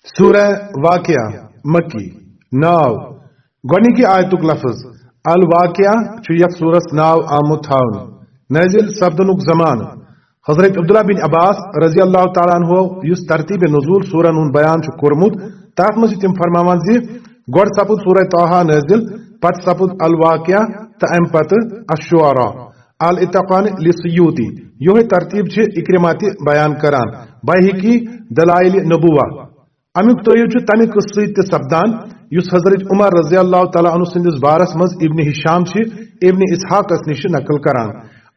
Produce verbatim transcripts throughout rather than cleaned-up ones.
سورہ واقعہ، مکی۔ ناو، گۄڈنِکی آیتُک لفظ الواقعہ چھُ یتھ سورس ناو آمُت تھاونہٕ۔ نٲزِل سپدنُک زمانہٕ۔ حضرت عبداللہ بن عباس رضی اللہ تعالیٰ عنہ، یُس ترتیب نزول سورن ہُنٛد بیان چھُ کوٚرمُت، تتھ منٛز چھِ تِم فرماوان زِ گۄڈٕ سپُد سورہ طٰہٰ نٲزِل، پتہٕ سپُد الواقعہ تہٕ امہِ پتہٕ الشعراء۔ الاتقان لسیوطی، یہے ترتیب چھِ اکرمہ تہِ بیان کران، بیہقی دلائل نبوہ۔ امیُک تٲیید چھُ تمہِ قصہٕ سۭتۍ تہِ سپدان، یُس حضرت عمر رضی اللہ تعالیٰ عنہ سٕنٛدِس بارس منٛز ابن ہشام چھِ ابن اسحاقس نِش نقل کران۔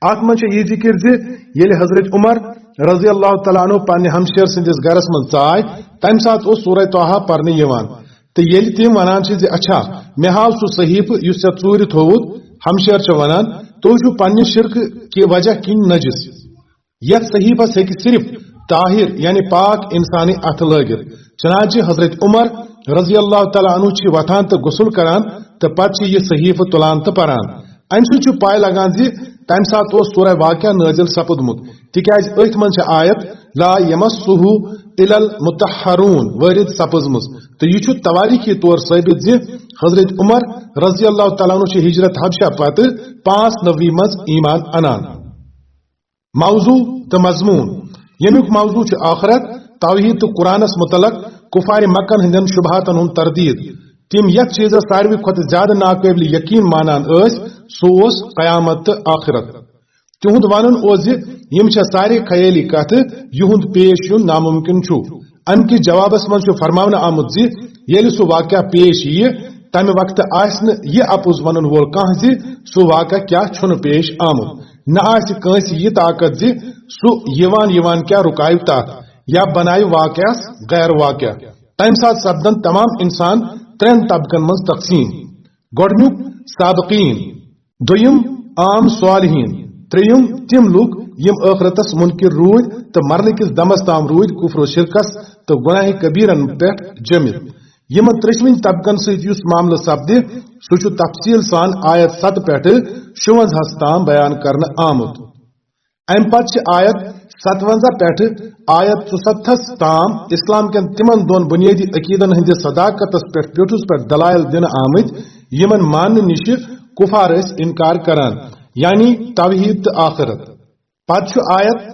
اتھ منٛز چھِ یہِ ذکر زِ ییٚلہِ حضرت عمر رضی اللہ تعالیٰ عنہ پننہِ ہمشیر سٕنٛدِس گرس منٛز ژاے، تمہِ ساتہٕ اوس سورہ طٰہٰ پرنہٕ یِوان۔ تہٕ ییٚلہِ تِم ونان چھِ زِ، "اچھا، مےٚ ہاو سُہ صحیفہٕ یُس ژےٚ ژوٗرِ تھووُتھ"، ہمشیر چھِ ونان، "تُہۍ چھِو پننہِ شرکہٕ کہِ وجہ کِنۍ نجس۔ یتھ صحیفس ہیٚکہِ صرف طاہر یعنی پاک انسانٕے اتھٕ لٲگِتھ۔" چنانچہ حضرت عمر رضی اللہ تعالیٰ عنہ چھِ وۄتھان تہٕ غسل کران تہٕ پتہٕ چھِ یہِ صحیفہٕ تُلان تہٕ پران۔ امہِ سۭتۍ چھُ پاے لگان زِ تمہِ ساتہٕ اوس سورہ واقعہ نٲزِل سپُدمُت، تِکیازِ أتھۍ منٛز چھِ آیت "لا یمسہ الا المطہرون" وٲرِد سپٕزمٕژ، تہٕ یہِ چھُ توٲریٖخی طور ثٲبت زِ حضرت عمر رضی اللہ تعالیٰ عنہ چھِ ہجرت حبشہ پتہٕ پانٛژھ نوی منٛز ایمان انان۔ موضوع تہٕ مضمون۔ ییٚمیُک موضوع چھُ آخرت، توحید تہٕ قرآنس متعلق کفار مکن ہٕنٛدٮ۪ن شبہاتن ہُنٛد تردید۔ تِم یتھ چیزس ساروی کھۄتہٕ زیادٕ ناقابل یقین مانان ٲسۍ، سُہ اوس قیامت تہٕ آخرت۔ تِہُنٛد ونُن اوس زِ یِم چھےٚ سارے خیٲلی کتھٕ، یِہُنٛد پیش یُن ناممکن چھُ۔ امہِ کِس جوابس منٛز چھُ فرماونہٕ آمُت زِ ییٚلہِ سُہ واقعہ پیش یِیہِ، تمہِ وقتہٕ آسہِ نہٕ یہِ اپُز ونن وول کانٛہہ زِ سُہ واقعہ کیٛاہ چھُنہٕ پیش آمُت۔ نہ آسہِ کٲنٛسہِ یہِ طاقت زِ سُہ یِوان یِوان کیٛاہ رُکاوِ تتھ یا بناوِ واقعس غیر واقعہ۔ تمہِ ساتہٕ سپدن تمام انسان ترٛٮ۪ن طبقن منٛز تقسیم۔ گۄڈنیُک سابقین، دوٚیِم عام صالحین، ترٛیٚیِم تِم لوٗکھ یِم ٲخرتس منکر روٗدۍ تہٕ مرنہٕ کِس دمس تام روٗدۍ کفر و شرکس تہٕ گناہ کبیرن پٮ۪ٹھ جٔمِتھ۔ یِمن ترٛیٚشوٕنی طبقن سۭتۍ یُس معاملہٕ سپدِ، سُہ چھُ تفصیل سان آیت ستہٕ پٮ۪ٹھٕ شُونٛزاہس تام بیان کرنہٕ آمُت۔ امہِ پتہٕ چھِ آیت ستونزہ پٮ۪ٹھٕ آیت ژُستتھس تام اسلام کٮ۪ن تِمن دۄن بنیٲدی عقیدن ہٕنٛدِس صداقتس پٮ۪ٹھ پیوٚٹھُس پٮ۪ٹھ دلائل دِنہٕ آمٕتۍ، یِمن ماننہٕ نِشہِ کفار ٲسۍ انکار کران، یعنی توحید تہٕ آخرت۔ پتہٕ چھُ آیت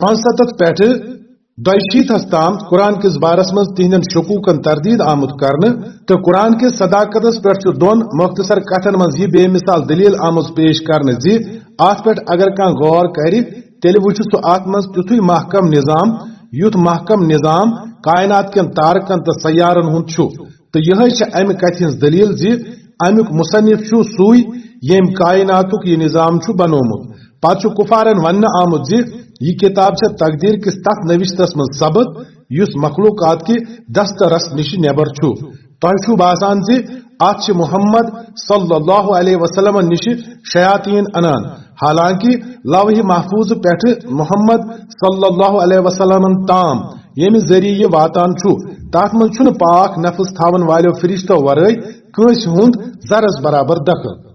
پانٛژستتھ پٮ۪ٹھٕ دۄیہِ شیٖتس تام قرآن کِس بارس منٛز تِہنٛدٮ۪ن شکوٗکن تردید آمُت کرنہٕ، تہٕ قرآن کِس صداقتس پٮ۪ٹھ چھُ دۄن مختصر کتھن منٛز یہِ بے مثال دلیل آمٕژ پیش کرنہٕ زِ اتھ پٮ۪ٹھ اگر کانٛہہ غور کرِ، تیٚلہِ وُچھِ سُہ اتھ منٛز تیُتھُے محکم نظام، یُتھ محکم نظام کائنات کٮ۪ن تارکن تہٕ سیارن ہُنٛد چھُ۔ تہٕ یِہے چھِ امہِ کتھِ ہٕنٛز دلیل زِ امیُک مصنف چھُ سُے، ییٚمۍ کائناتُک یہِ نظام چھُ بنوومُت۔ پتہٕ چھُ کفارن وننہٕ آمُت زِ یہِ کتاب چھےٚ تقدیر کِس تتھ نوشتس منٛز ثبت، یُس مخلوقات کہِ دسترس نِش نٮ۪بر چھُ۔ تۄہہِ چھُو باسان زِ اتھ چھِ محمد صلی اللہ علیہ وسلمن نِش شیاطین انان، حالانکہ لوح محفوظ پٮ۪ٹھٕ محمد صلی اللہ علیہ وسلمن تام ییٚمہِ ذٔریعہٕ یہِ واتان چھُ، تتھ منٛز چھُنہٕ پاک نفس تھاون والٮ۪و فرشتو ورٲے کٲنٛسہِ ہُنٛد ذرس برابر دخل۔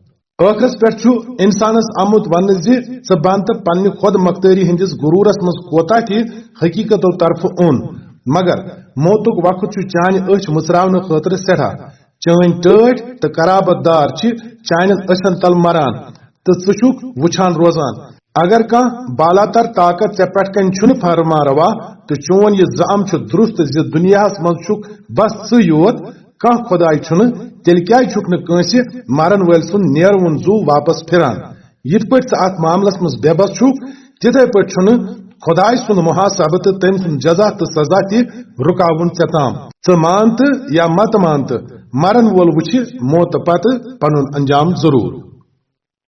ٲخرس پٮ۪ٹھ چھُ انسانس آمُت وننہٕ زِ ژٕ بن تہٕ پننہِ خود مختٲری ہٕنٛدِس غرورس منٛز کوتاہ تہِ حقیقتو طرفہٕ اوٚن، مگر موتُک وقت چھُ چانہِ أچھ مُژراونہٕ خٲطرٕ سٮ۪ٹھاہ۔ چٲنۍ ٹٲٹھۍ تہٕ قرابت دار چھِ چانٮ۪ن أچھن تل مران تہٕ ژٕ چھُکھ وُچھان روزان۔ اگر کانٛہہ بالاتر طاقت ژےٚ پٮ۪ٹھ کنہِ چھُنہٕ فرما روا تہٕ چون یہِ زعم چھُ درست زِ دُنیاہس منٛز چھُکھ بس ژٕ یوت، کانٛہہ خۄداے چھُنہٕ، تیٚلہِ کیٛازِ چھُکھ نہٕ کٲنٛسہِ مرن وٲلۍ سُنٛد نیرٕ وُن زُو واپس پھِران؟ یِتھ پٲٹھۍ ژٕ اتھ معاملس منٛز بے بس چھُکھ، تِتھے پٲٹھۍ چھُنہٕ خۄداے سُنٛد محاسبہٕ تہٕ تٔمۍ سُنٛد جزا تہٕ سزا تہِ رُکاوُن ژےٚ تام۔ ژٕ مان تہٕ یا مت مان تہٕ، مرن وول وُچھِ موتہٕ پتہٕ پنُن انجام ضروٗر۔